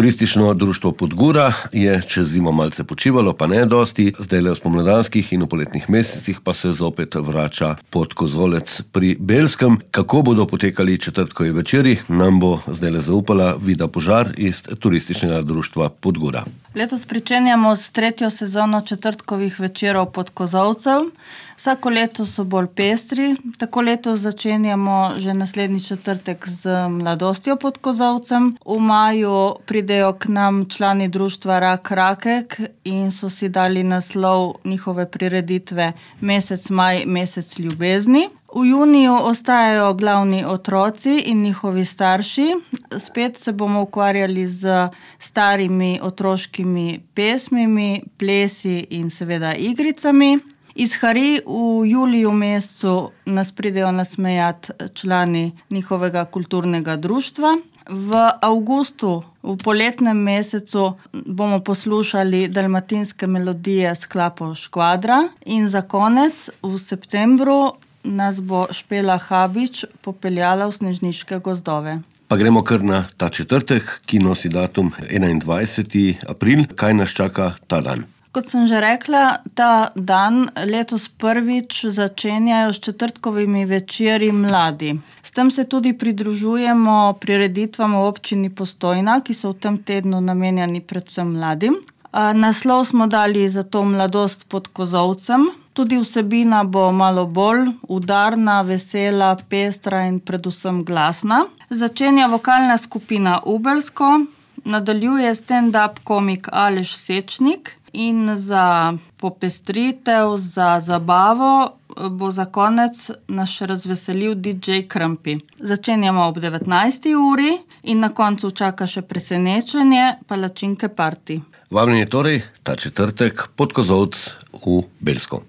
Turistično društvo Podgura je čez zimo malce počivalo, pa ne dosti. Zdajle v spomladanskih in v poletnih mesecih pa se zopet vrača pod kozolec pri Belskem. Kako bodo potekali četrtkovi večeri, nam bo zdajle zaupala Vida Požar iz Turističnega društva Podgura. Letos pričenjamo s 3. sezono četrtkovih večerov pod kozolcem. Vsako leto so bolj pestri. Tako letos začenjamo že naslednji četrtek z mladostjo pod kozolcem. V maju pridejo k nam člani društva Rak Rakek in so si dali naslov njihove prireditve Mesec maj, mesec ljubezni. V juniju ostajajo glavni otroci in njihovi starši. Spet se bomo ukvarjali z starimi otroškimi pesmimi, plesi in seveda igricami. Iz Hari v juliju mesecu nas pridejo nasmejati člani njihovega kulturnega društva. V avgustu, v poletnem mesecu, bomo poslušali dalmatinske melodije s klapo Škvadra in za konec v septembru nas bo Špela Habič popeljala v snežniške gozdove. Pa gremo kar na ta četrtek, ki nosi datum 21. april. Kaj nas čaka ta dan? Kot sem že rekla, ta dan letos prvič začenjajo s četrtkovimi večeri mladi. S tem se tudi pridružujemo prireditvam v občini Postojna, ki so v tem tednu namenjeni predvsem mladim. Naslov smo dali za to Mladost pod kozolcem. Tudi vsebina bo malo bolj udarna, vesela, pestra in predvsem glasna. Začenja vokalna skupina Ubelsko, nadaljuje stand-up komik Aleš Sečnik in za popestritev, za zabavo bo za konec nas še razveselil DJ Krampi. Začenjamo ob 19. uri in na koncu čaka še presenečenje, palačinke party. Vabljeni torej ta četrtek pod kozolc v Belsko.